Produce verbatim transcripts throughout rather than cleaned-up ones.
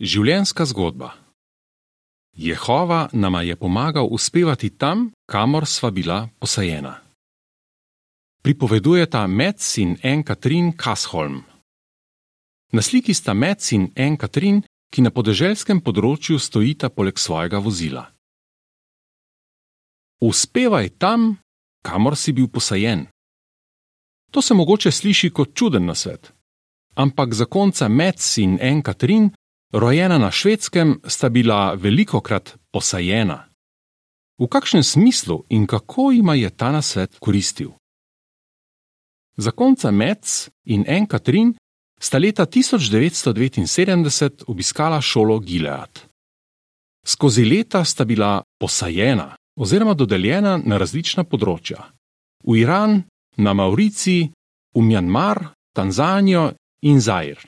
Življenjska zgodba. Jehova nama je pomagal uspevati tam, kamor sva bila posajena. Pripovedujeta Mets in Anne Katrin Kasholm. Na sliki sta Mets in Anne Katrin, ki na podeželskem področju stojita poleg svojega vozila. Uspevaj tam, kamor si bil posajen. To se mogoče sliši kot čuden nasvet, ampak zakonca Mets in Anne Katrin, rojena na Švedskem, sta bila velikokrat posajena. V kakšnem smislu in kako jima je ta nasvet koristil? Zakonca Mets in Anne Katrin sta leta tisoč devetsto devetinsedemdeset obiskala šolo Gilead. Skozi leta sta bila posajena oziroma dodeljena na različna področja. V Iran, na Mauriciji, v Mjanmar, Tanzanijo in Zair.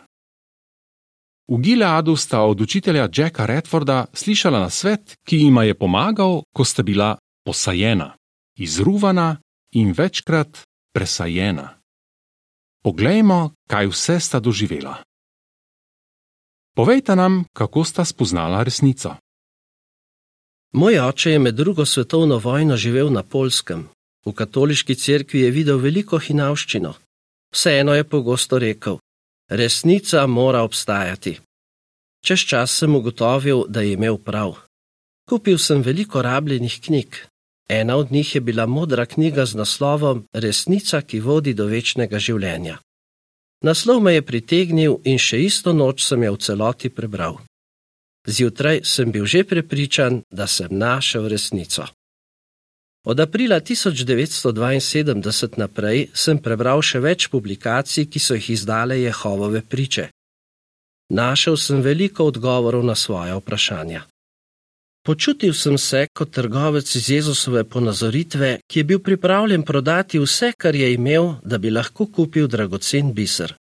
V Gileadu sta od učitelja Jacka Redforda slišala nasvet, ki jima je pomagal, ko sta bila posajena, izruvana in večkrat presajena. Poglejmo, kaj vse sta doživela. Povejta nam, kako sta spoznala resnico. Moj oče je med drugo svetovno vojno živel na Poljskem. V katoliški cerkvi je videl veliko hinavščino. Vseeno je pogosto rekel: resnica mora obstajati. Čez čas sem ugotovil, da je imel prav. Kupil sem veliko rabljenih knjig. Ena od njih je bila modra knjiga z naslovom Resnica, ki vodi do večnega življenja. Naslov me je pritegnil in še isto noč sem jo v celoti prebral. Zjutraj sem bil že prepričan, da sem našel resnico. Od aprila tisoč devetsto dvainsedemdeset naprej sem prebral še več publikacij, ki so jih izdale Jehovove priče. Našel sem veliko odgovorov na svoja vprašanja. Počutil sem se kot trgovec iz Jezusove ponazoritve, ki je bil pripravljen prodati vse, kar je imel, da bi lahko kupil dragocen biser.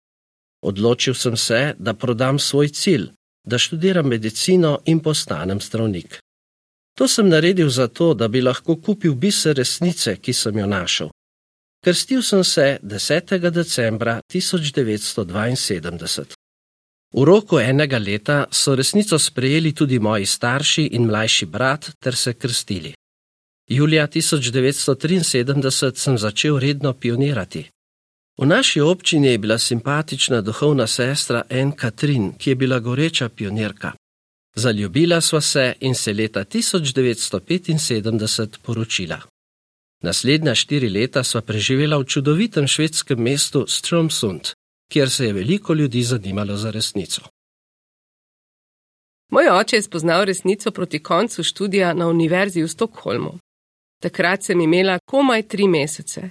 Odločil sem se, da prodam svoj cilj, da študiram medicino in postanem zdravnik. To sem naredil zato, da bi lahko kupil biser resnice, ki sem jo našel. Krstil sem se desetega decembra tisoč devetsto dvainsedemdeset. V roku enega leta so resnico sprejeli tudi moji starši in mlajši brat ter se krstili. Julija tisoč devetsto triinsedemdeset sem začel redno pionirati. V naši občini je bila simpatična duhovna sestra Anne Katrin, ki je bila goreča pionirka. Zaljubila sva se in se leta tisoč devetsto petinsedemdeset poročila. Naslednja štiri leta sva preživela v čudovitem švedskem mestu Strömsund, kjer se je veliko ljudi zanimalo za resnico. Moj oče je spoznal resnico proti koncu študija na univerzi v Stockholmu. Takrat sem imela komaj tri mesece.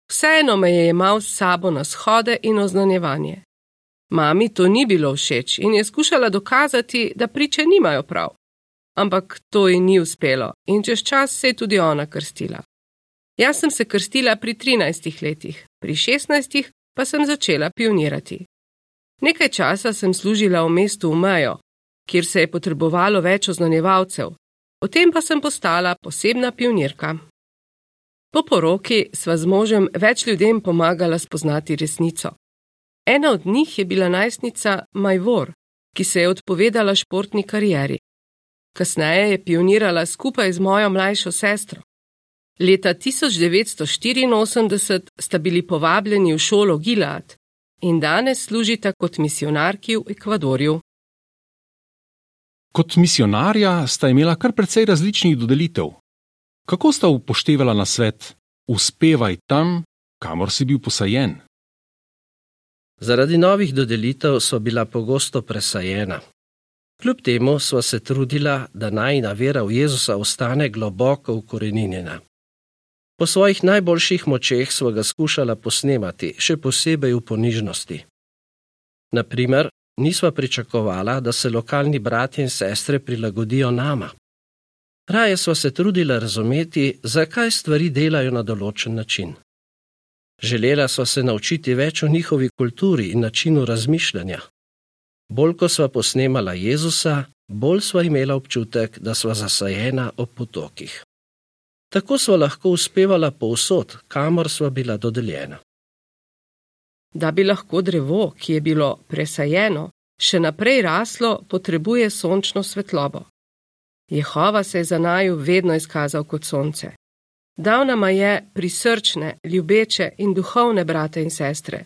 Vseeno me je jemal s sabo na shode in oznanjevanje. Mami to ni bilo všeč in je skušala dokazati, da priče nimajo prav. Ampak to ji ni uspelo in čez čas se je tudi ona krstila. Jaz sem se krstila pri trinajstih letih, pri šestnajstih pa sem začela pionirati. Nekaj časa sem služila v mestu v Mejo, kjer se je potrebovalo več oznanjevalcev, potem pa sem postala posebna pionirka. Po poroki sva z možem več ljudem pomagala spoznati resnico. Ena od njih je bila najstnica Majvor, ki se je odpovedala športni karieri. Kasneje je pionirala skupaj z mojo mlajšo sestro. Leta tisoč devetsto štiriinosemdeset sta bili povabljeni v šolo Gilead in danes služita kot misijonarki v Ekvadorju. Kot misijonarja sta imela kar precej različnih dodelitev. Kako sta upoštevala nasvet: uspevaj tam, kamor si bil posajen? Zaradi novih dodelitev sva bila pogosto presajena. Kljub temu sva se trudila, da najina vera v Jezusa ostane globoko ukoreninjena. Po svojih najboljših močeh sva ga skušala posnemati, še posebej v ponižnosti. Na primer, nisva pričakovala, da se lokalni bratje in sestre prilagodijo nama. Raje sva se trudila razumeti, zakaj stvari delajo na določen način. Želela sva se naučiti več o njihovi kulturi in načinu razmišljanja. Bolj ko sva posnemala Jezusa, bolj sva imela občutek, da sva zasajena ob potokih. Tako sva lahko uspevala povsod, kamor sva bila dodeljena. Da bi lahko drevo, ki je bilo presajeno, še naprej raslo, potrebuje sončno svetlobo. Jehova se je za naju vedno izkazal kot sonce. Dal nama je prisrčne, ljubeče in duhovne brate in sestre.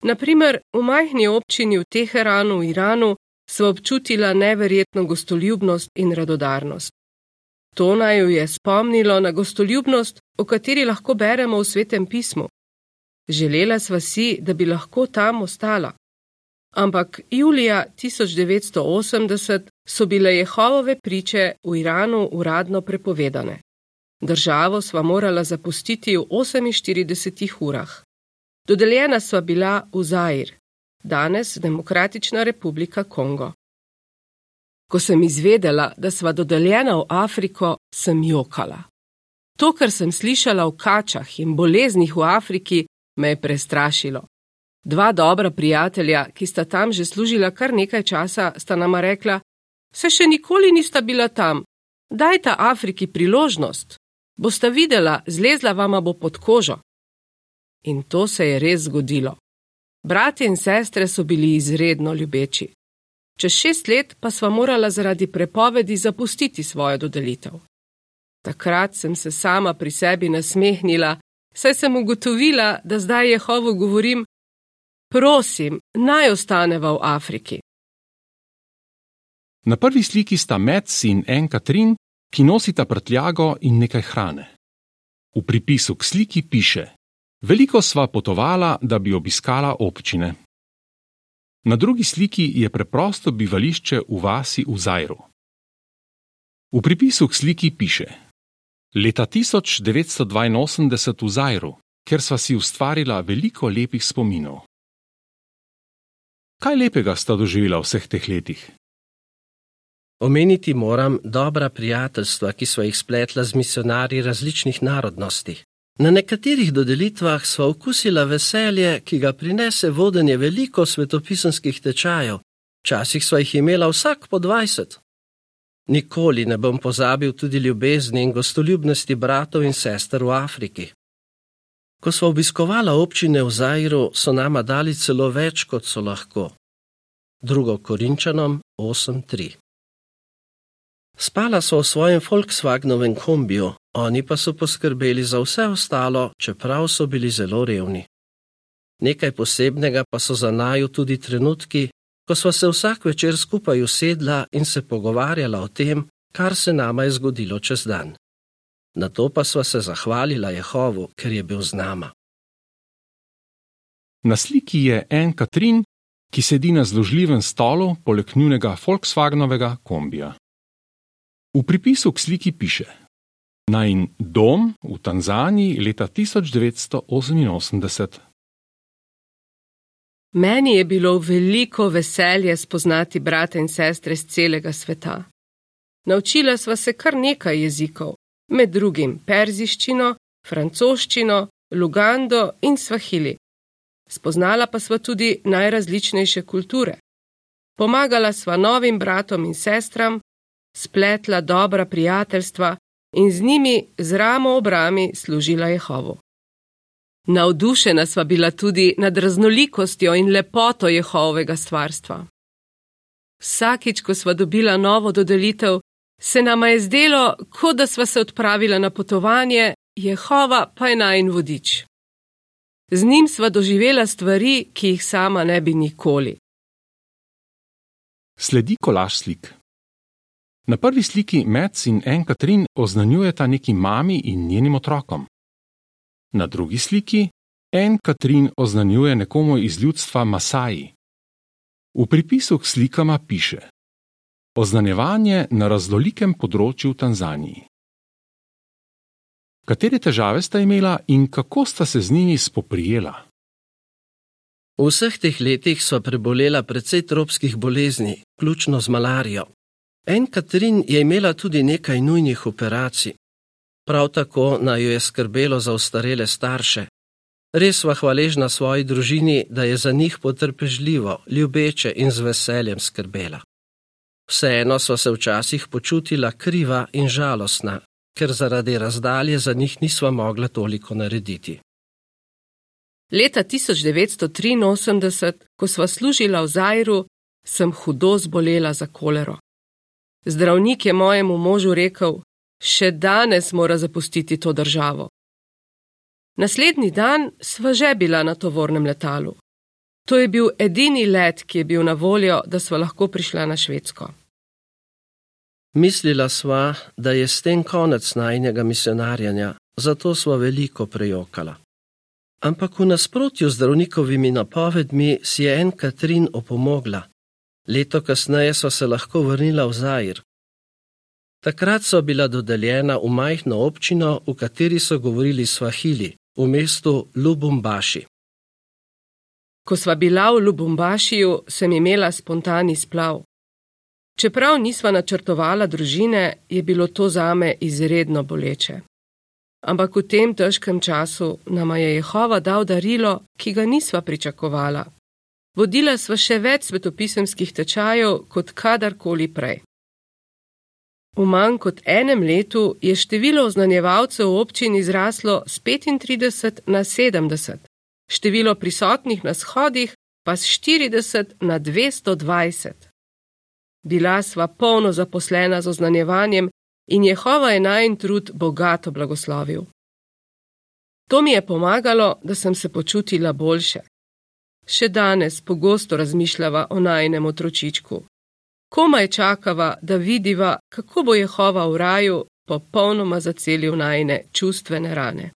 Naprimer, v majhni občini v Teheranu v Iranu sva občutila neverjetno gostoljubnost in radodarnost. To naju je spomnilo na gostoljubnost, o kateri lahko beremo v Svetem pismu. Želela sva si, da bi lahko tam ostala. Ampak julija tisoč devetsto osemdeset so bile Jehovove priče v Iranu uradno prepovedane. Državo sva morala zapustiti v oseminštiridesetih urah. Dodeljena sva bila v Zair, danes Demokratična republika Kongo. Ko sem izvedela, da sva dodeljena v Afriko, sem jokala. To, kar sem slišala o kačah in boleznih v Afriki, me je prestrašilo. Dva dobra prijatelja, ki sta tam že služila kar nekaj časa, sta nama rekla: "Se še nikoli nista bila tam. Dajta Afriki priložnost. Bosta videla, zlezla vama bo pod kožo." In to se je res zgodilo. Bratje in sestre so bili izredno ljubeči. Čez šest let pa sva morala zaradi prepovedi zapustiti svojo dodelitev. Takrat sem se sama pri sebi nasmehnila, saj sem ugotovila, da zdaj Jehovu govorim: "Prosim, naj ostaneva v Afriki." Na prvi sliki sta Mads in Anne Katrin, ki nosita prtljago in nekaj hrane. V pripisu k sliki piše: "Veliko sva potovala, da bi obiskala občine." Na drugi sliki je preprosto bivališče v vasi v Zairu. V pripisu k sliki piše: "Leta tisoč devetsto dvainosemdeset v Zairu, kjer sva si ustvarila veliko lepih spominov." Kaj lepega sta doživela v vseh teh letih? Omeniti moram dobra prijateljstva, ki sva jih spletla z misionarji različnih narodnosti. Na nekaterih dodelitvah sva okusila veselje, ki ga prinese vodenje veliko svetopisanskih tečajev. Včasih sva jih imela vsak po dvajset. Nikoli ne bom pozabil tudi ljubezni in gostoljubnosti bratov in sester v Afriki. Ko sva obiskovala občine v Zairu, so nama dali celo več, kot so lahko. Drugo Korinčanom osem tri. Spala so v svojem Volkswagenovem kombiju, oni pa so poskrbeli za vse ostalo, čeprav so bili zelo revni. Nekaj posebnega pa so za naju tudi trenutki, ko sva se vsak večer skupaj usedla in se pogovarjala o tem, kar se nama je zgodilo čez dan. Nato pa sva se zahvalila Jehovu, ker je bil z nama. Na sliki je Anne Katrin, ki sedi na zložljivem stolu poleg njunega Volkswagenovega kombija. V pripisu k sliki piše: "Najin dom v Tanzaniji leta tisoč devetsto oseminosemdeset." Meni je bilo veliko veselje spoznati brate in sestre z celega sveta. Naučila sva se kar nekaj jezikov, med drugim perziščino, francoščino, lugando in svahili. Spoznala pa sva tudi najrazličnejše kulture. Pomagala sva novim bratom in sestram, spletla dobra prijateljstva in z njimi z ramo ob rami služila Jehovu. Navdušena sva bila tudi nad raznolikostjo in lepoto Jehovovega stvarstva. Vsakič, ko sva dobila novo dodelitev, se nama je zdelo, kot da sva se odpravila na potovanje, Jehova pa je najin vodič. Z njim sva doživela stvari, ki jih sama ne bi nikoli. Sledi kolaž slik. Na prvi sliki Mads in Anne Katrin oznanjujeta neki mami in njenim otrokom. Na drugi sliki Anne Katrin oznanjuje nekomu iz ljudstva Masaji. V pripisu k slikama piše: "Oznanjevanje na raznolikem področju v Tanzaniji." Katere težave sta imela in kako sta se z njimi spoprijela? V vseh teh letih sva prebolela precej tropskih bolezni, vključno z malarijo. Anne Katrin je imela tudi nekaj nujnih operacij. Prav tako naju je skrbelo za ostarele starše. Res sva hvaležna svoji družini, da je za njih potrpežljivo, ljubeče in z veseljem skrbela. Vseeno sva se včasih počutila kriva in žalostna, ker zaradi razdalje za njih nisva mogla toliko narediti. Leta tisoč devetsto triinosemdeset, ko sva služila v Zairu, sem hudo zbolela za kolero. Zdravnik je mojemu možu rekel, še danes mora zapustiti to državo. Naslednji dan sva že bila na tovornem letalu. To je bil edini let, ki je bil na voljo, da sva lahko prišla na Švedsko. Mislila sva, da je s tem konec najinega misionarjanja, zato sva veliko prejokala. Ampak v nasprotju z zdravnikovimi napovedmi si je en Katrin opomogla. Leto kasneje sva se lahko vrnila v Zair. Takrat so bila dodeljena v majhno občino, v kateri so govorili svahili, v mestu Lubumbaši. Ko sva bila v Lubumbašiju, sem imela spontani splav. Čeprav nisva načrtovala družine, je bilo to zame izredno boleče. Ampak v tem težkem času nama je Jehova dal darilo, ki ga nisva pričakovala. Vodila sva še več svetopisemskih tečajev kot kadarkoli prej. V manj kot enem letu je število oznanjevalcev v občini zraslo z petintrideset na sedemdeset, število prisotnih na shodih pa z štirideset na dvesto dvajset. Bila sva polno zaposlena z oznanjevanjem in Jehova je najin trud bogato blagoslovil. To mi je pomagalo, da sem se počutila boljše. Še danes pogosto razmišljava o najinem otročičku. Komaj čakava, da vidiva, kako bo Jehova v raju popolnoma zacelil najine čustvene rane.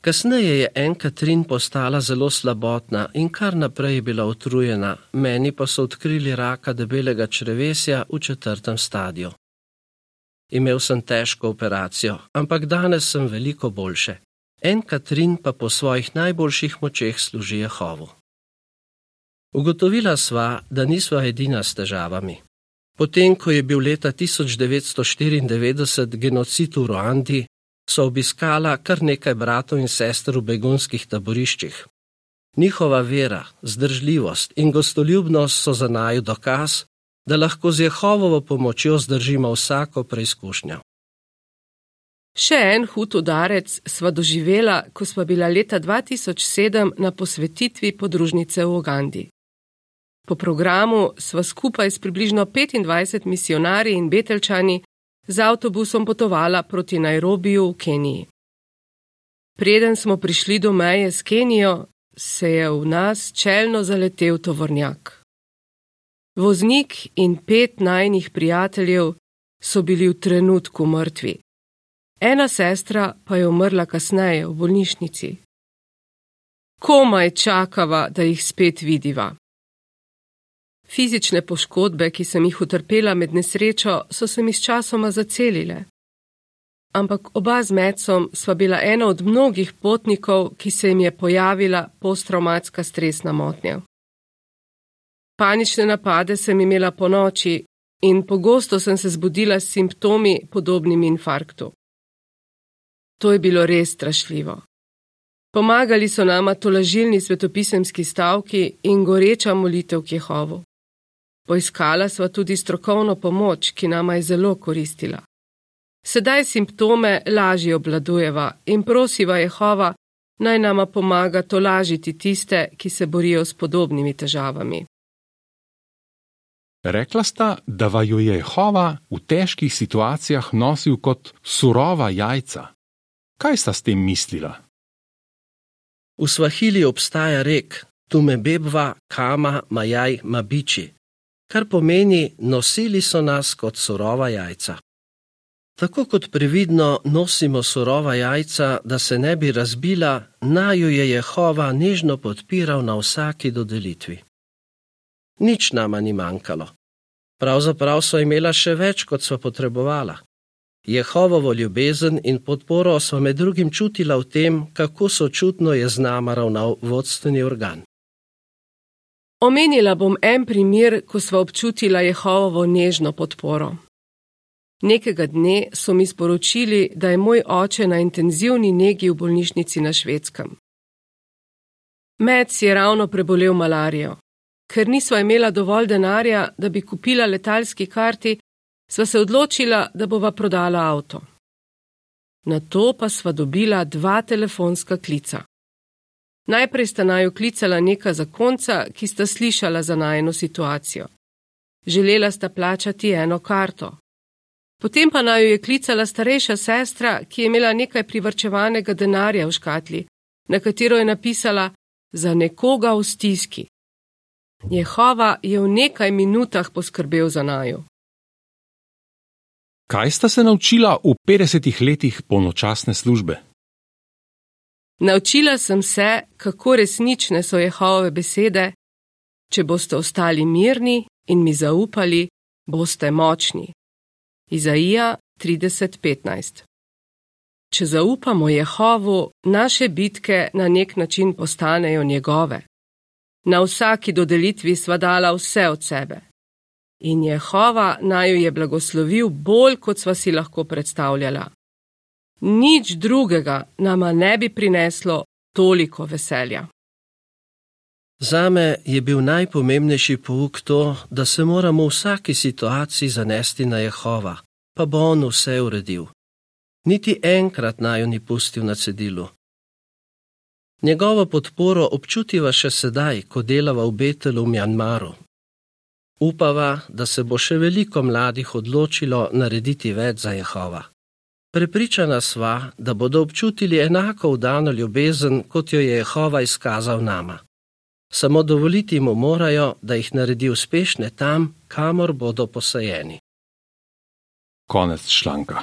Kasneje je en Katrin postala zelo slabotna in kar naprej bila utrujena, meni pa so odkrili raka debelega črevesja v četrtem stadiju. Imel sem težko operacijo, ampak danes sem veliko boljše. En Katrin pa po svojih najboljših močeh služi Jehovu. Ugotovila sva, da nisva edina s težavami. Potem, ko je bil leta tisoč devetsto štiriindevetdeset genocid v Ruandi, so obiskala kar nekaj bratov in sester v begunskih taboriščih. Njihova vera, zdržljivost in gostoljubnost so za naju dokaz, da lahko z Jehovovo pomočjo zdržimo vsako preizkušnjo. Še en hud udarec sva doživela, ko sva bila leta dva tisoč sedem na posvetitvi podružnice v Ugandi. Po programu sva skupaj s približno petindvajset misionarji in betelčani z avtobusom potovala proti Nairobiju v Keniji. Preden smo prišli do meje s Kenijo, se je v nas čelno zaletel tovornjak. Voznik in pet najinih prijateljev so bili v trenutku mrtvi. Ena sestra pa je umrla kasneje v bolnišnici. Komaj čakava, da jih spet vidiva. Fizične poškodbe, ki sem jih utrpela med nesrečo, so se mi sčasoma zacelile. Ampak oba z Metsom sva bila ena od mnogih potnikov, ki se jim je pojavila posttravmatska stresna motnja. Panične napade sem imela ponoči in pogosto sem se zbudila s simptomi podobnimi infarktu. To je bilo res strašljivo. Pomagali so nama tolažilni svetopisemski stavki in goreča molitev k Jehovu. Poiskala sva tudi strokovno pomoč, ki nama je zelo koristila. Sedaj simptome lažje obvladujeva in prosiva Jehova, naj nama pomaga tolažiti tiste, ki se borijo s podobnimi težavami. Rekla sta, da vaju je Jehova v težkih situacijah nosil kot surova jajca. Kaj sta s tem mislila? V svahili obstaja rek Tumebebva kama majaj mabiči, kar pomeni nosili so nas kot surova jajca. Tako kot previdno nosimo surova jajca, da se ne bi razbila, naju je Jehova nežno podpiral na vsaki dodelitvi. Nič nama ni manjkalo. Pravzaprav so imela še več, kot sva potrebovala. Jehovovo ljubezen in podporo sva med drugim čutila v tem, kako sočutno je z nama ravnal vodstveni organ. Omenila bom en primer, ko sva občutila Jehovovo nežno podporo. Nekega dne so mi sporočili, da je moj oče na intenzivni negi v bolnišnici na Švedskem. Mec je ravno prebolel malarijo. Ker nisva imela dovolj denarja, da bi kupila letalski karti, sva se odločila, da bova prodala avto. Nato pa sva dobila dva telefonska klica. Najprej sta naju klicala neka zakonca, ki sta slišala za najino situacijo. Želela sta plačati eno karto. Potem pa naju je klicala starejša sestra, ki je imela nekaj privarčevanega denarja v škatli, na katero je napisala za nekoga v stiski. Jehova je v nekaj minutah poskrbel za naju. Kaj sta se naučila v petdesetih letih polnočasne službe? Naučila sem se, kako resnične so Jehovove besede: če boste ostali mirni in mi zaupali, boste močni. Izaija trideset petnajst. Če zaupamo Jehovu, naše bitke na nek način postanejo njegove. Na vsaki dodelitvi sva dala vse od sebe. In Jehova naju je blagoslovil bolj, kot sva si lahko predstavljala. Nič drugega nama ne bi prineslo toliko veselja. Zame je bil najpomembnejši pouk to, da se moramo v vsaki situaciji zanesti na Jehova, pa bo on vse uredil. Niti enkrat naju ni pustil na cedilu. Njegovo podporo občutiva še sedaj, ko delava v Betelu v Mjanmaru. Upava, da se bo še veliko mladih odločilo narediti več za Jehova. Prepričana sva, da bodo občutili enako vdano ljubezen, kot jo je Jehova izkazal nama. Samo dovoliti mu morajo, da jih naredi uspešne tam, kamor bodo posajeni. Konec članka.